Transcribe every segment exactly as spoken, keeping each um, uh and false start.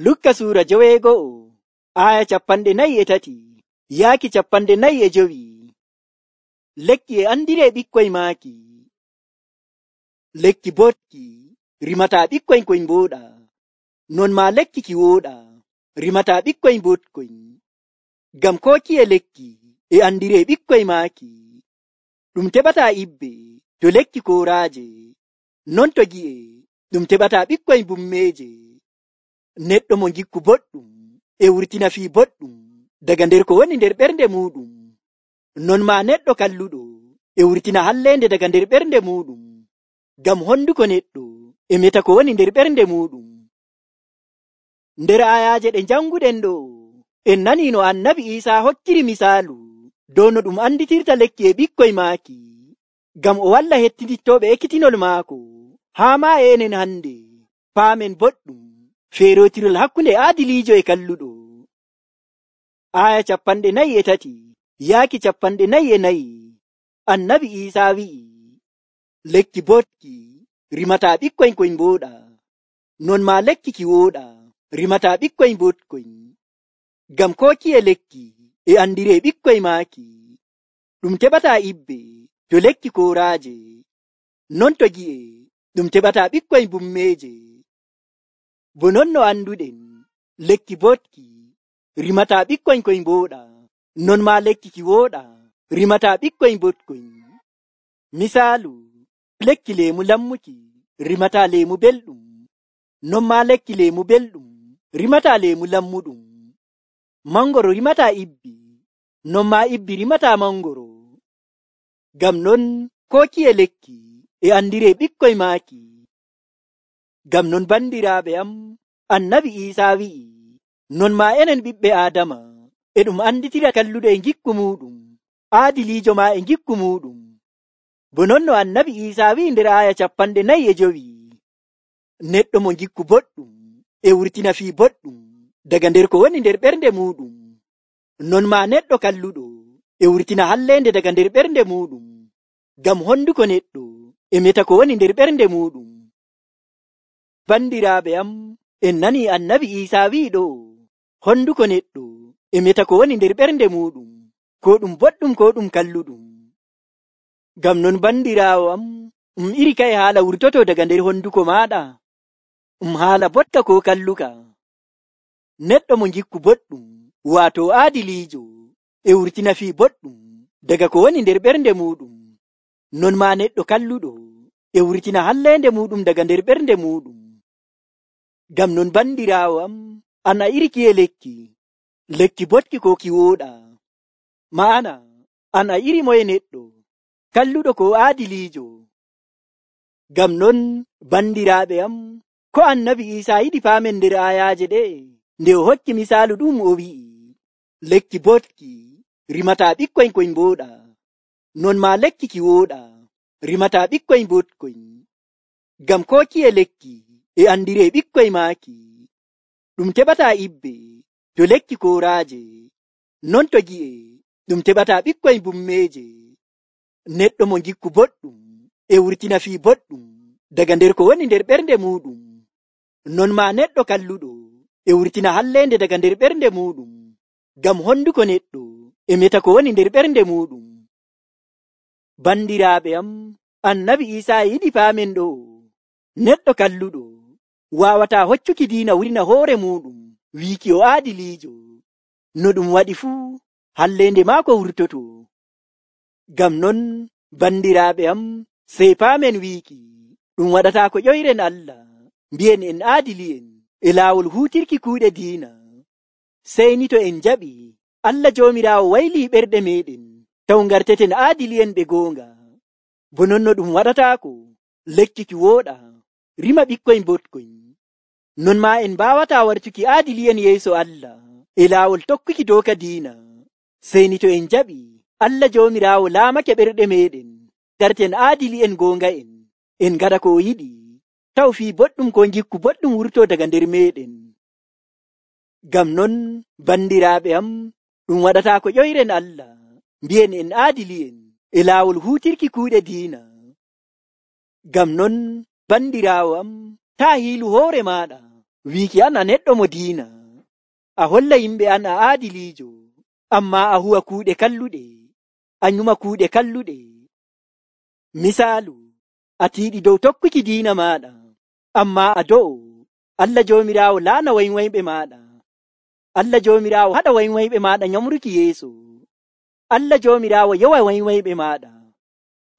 Lukka suura joweego'o aya capanɗe nayi e tati yaaki capanɗe nayi e jowi. Lekki e andiree ɓikkoy maaki. Lekki boɗki rimataa ɓikkoy koy mbooɗa. Non maa lekki ki wooɗa rimataa ɓikkoy boɗkoy. Ngam kookiye lekki e andiree ɓikkoy maaki. Ɗum teɓataa ibbe to lekki kooraaje. Non to gi'e ɗum teɓataa ɓikkoy bummeeje. Neɗɗo mo ngikku boɗɗum e wurtina fii boɗɗum daga nder ko woni nder ɓernde muuɗum. Non maa neɗɗo kalluɗo e wurtina halleende daga nder ɓernde muuɗum. Ngam honduko neɗɗo e meta ko woni nder ɓernde muuɗum. Nder ayaaje ɗe janguɗen ɗo en nanii no annabi Iisaa hokkiri misaalu dow no ɗum anditirta lekki e ɓikkoy maaki, ngam o walla hettidittooɓe ekkitinol maako. Haa maa e enen hande paamen boɗɗum feerootirol hakkunde aadiliijo e kalluɗo. Aya capanɗe nayi e tati yaaki capanɗe nayi e nayi. Annabi Iisaa wi'i, lekki boɗki rimataa ɓikkoy koy mbooɗa. Non maa lekki ki wooɗa rimataa ɓikkoy boɗkoy. Ngam kookiye lekki e andiree ɓikkoy maaki. Ɗum teɓataa ibbe to lekki kooraaje. Non to gi'e ɗum teɓataa ɓikkoy bummeeje. Bo non no anduɗen lekki boɗki rimataa ɓikkoy koy mbooɗa. Non maa lekki ki wooɗa rimataa ɓikkoy boɗkoy. Misaalu, lekki leemu lammuki rimataa leemu belɗum. Non maa lekki leemu belɗum rimataa leemu lammuɗum. Mangoro rimataa ibbi. Non maa ibbi rimataa mangoro. Ngam non kookiye lekki e andiree ɓikkoy maaki. Ngam non bandiraaɓe am, annabi Iisaa wi'i, non maa enen ɓiɓɓe Aadama e ɗum anditira kalluɗo e ngikku muuɗum, aadiliijo maa e ngikku muuɗum. Bo non no annabi Iisaa wi'i nder aya capanɗe nayi e jowi, neɗɗo mo ngikku boɗɗum e wurtina fii boɗɗum daga nder ko woni nder ɓernde muuɗum. Non maa neɗɗo kalluɗo e wurtina halleende daga nder ɓernde muuɗum. Ngam honduko neɗɗo e meta ko woni nder ɓernde muuɗum. Bandiraaɓe am, en nanii annabi Iisaa wi'i ɗo, honduko neɗɗo e meta ko woni nder ɓernde muuɗum, ko ɗum boɗɗum ko ɗum kalluɗum. Ngam non bandiraawo am, um iri kaye haala wurtoto daga nder honduko maaɗa? Um haala botka ko kalluka? Neɗɗo mo ngikku boɗɗum, waato aadiliijo, e wurtina fii boɗɗum daga ko woni nder ɓernde muuɗum. Non maa neɗɗo kalluɗo e wurtina halleende muuɗum daga nder ɓernde muuɗum. Ngam non bandiraawo am, an a iri kiye lekki, lekki boɗki ko ki wooɗa? Ma'ana, an a iri moye neɗɗo, kalluɗo ko aadiliijo? Ngam non bandiraaɓe am, ko annabi Iisaa yiɗi paamen nder ayaaje ɗe, nde o hokki misaalu ɗum o wi'i, lekki boɗki rimataa ɓikkoy koy mbooɗa. Non maa lekki ki wooɗa rimataa ɓikkoy boɗkoy. Ngam kookiye lekki e andiree ɓikkoy maaki. Ɗum teɓataa ibbe to lekki kooraaje. Non to gi'e ɗum teɓataa ɓikkoy bummeeje. Neɗɗo mo ngikku boɗɗum e wurtina fii boɗɗum daga nder ko woni nder ɓernde muuɗum. Non maa neɗɗo kalluɗo e wurtina halleende daga nder ɓernde muuɗum. Ngam honduko neɗɗo e meta ko woni nder ɓernde muuɗum. Bandiraaɓe am, annabi Iisaa yiɗi paamen ɗo, neɗɗo kalluɗo waawataa hoccuki diina wurina hoore muuɗum wiiki o aadiliijo. No ɗum waɗi fuu halleende maako wurtoto. Ngam non bandiraaɓe am, sey paamen wiiki ɗum waɗataa ko ƴoyren Allah mbi'en en aadili'en e laawol huutirki kuuɗe diina. Sey ni to en jaɓi Allah Joomiraawo waylii ɓerɗe meeɗen taw ngarteten aadili'en ɓe goonga. Bo non no ɗum waɗataako lekki ki wooɗa rima ɓikkoy boɗkoy. Non maa en mbaawataa wartuki aadili'en yeeso Allah e laawol tokkuki dooka diina. Sey ni to en jaɓi Allah Joomiraawo laamake ɓerɗe meeɗen ngarten aadili'en goonga'en, en ngaɗa ko o yiɗi, taw fii boɗɗum ko ngikku boɗɗum wurto daga nder meeɗen. Ngam non bandiraaɓe am, ɗum waɗataa ko ƴoyren Allah mbi'en en aadili'en e laawol huutirki kuuɗe diina. Ngam non bandiraawo am, taa hiilu hoore maaɗa wiiki an a neɗɗo mo diina, a holla yimɓe an a aadiliijo, amma a huwa kuuɗe kalluɗe, a nyuma kuuɗe kalluɗe. Misaalu, a tiiɗi dow tokkuki diina maaɗa, amma a do'o, Allah Joomiraawo laana waynwayɓe maaɗa. Allah Joomiraawo haɗa waynwayɓe maaɗa nyamruki yeeso. Allah Joomiraawo yowa waynwayɓe maaɗa.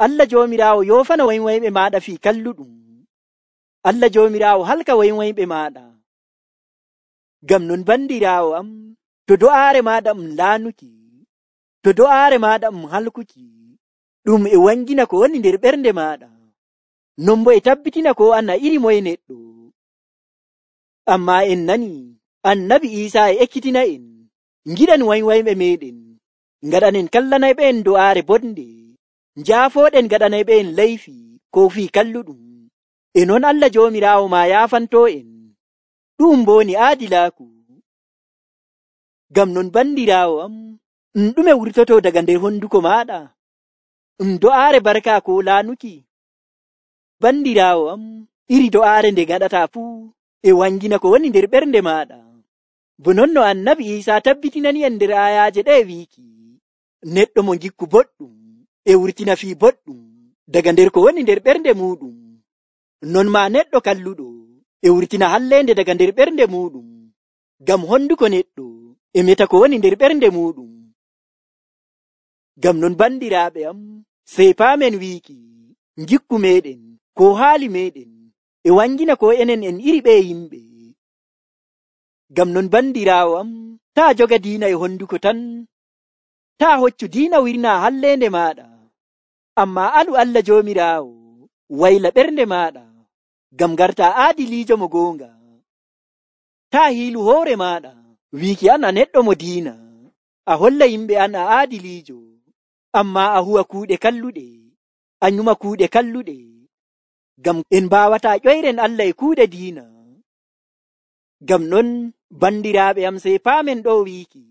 Allah Joomiraawo yoofana waynwayɓe maaɗa fii kalluɗum. Allah Joomiraawo halka waynwayɓe maaɗa. Ngam non bandiraawo am, to do'aare maaɗa um laanuki, to do'aare maaɗa um halkuki, ɗum e wangina ko woni nder ɓernde maaɗa, non bo e tabbitina ko an a iri moye neɗɗo. Amma en nani annabi Iisaa e ekkitina en, ngiɗan waynwayɓe meɗen, ngaɗanen kallanayɓe en do'aare bonde, njaafooɗen ngaɗanayɓe en layfi ko fii kalluɗum, e non Allah Joomiraawo ma yaafanto en. Ɗum boni aadilaaku. Ngam non bandiraawo am, ɗum ɗume wurtoto daga nder honduko maaɗa? ɗum do'aare barka ko laanuki? Bandiraawo am, iri do'aare nde gaɗata fuu e wangina ko woni nder ɓernde maaɗa. Bo non no annabi Iisaa tabbitinani en nder ayaaje ɗe wiiki, neɗɗo mo gikku boɗɗum e wurtina fii boɗɗum daga nder ko woni nder ɓernde muɗum. Non ma neɗɗo kalluɗo e wurtina hallende daga nder ɓernde muɗum, ngam honduko neɗɗo e meta ko woni nder ɓernde muɗum. Ngam non bandiraaɓe am, sey paamen wiiki gikku meɗen ko haali meɗen e wangina ko enen en iri ɓe yimɓe. Ngam non bandiraawo am, taa joga diina e honduko tan, taa hoccu diina wirna hallende maaɗa, amma alu Allah Joomiraawo wayla ɓernde maaɗa, ngam garta aadiliijo mo goonga. Taa hiilu hoore maaɗa wiiki an a neɗɗo mo diina, a holla yimɓe an a aadiliijo, amma a huwa kuuɗe kalluɗe, a nyuma kuuɗe kalluɗe, ngam en mbaawata ƴoyren Allah e kuuɗe diina. Ngam non bandiraaɓe am, sey paamen ɗo wiiki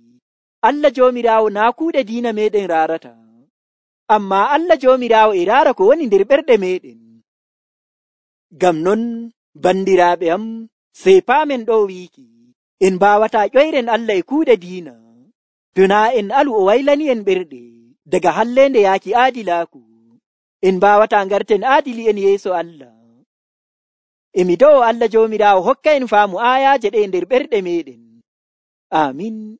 Allah Joomiraawo naa kuuɗe diina meɗen raarata, amma Allah Joomiraawo e raara ko woni nder ɓerɗe meɗen. Ngam non bandiraaɓe am, sey paamen ɗo wiiki en mbaawata ƴoyren Allah e kuuɗe diina, to naa en alu o waylani en ɓerɗe daga hallende yaaki aadilaaku, en mbaawata ngarten aadili en yeeso Allah. Emi do'o Allah Joomiraawo hokka en faamu ayaaje ɗe nder ɓerɗe meɗen. Amin.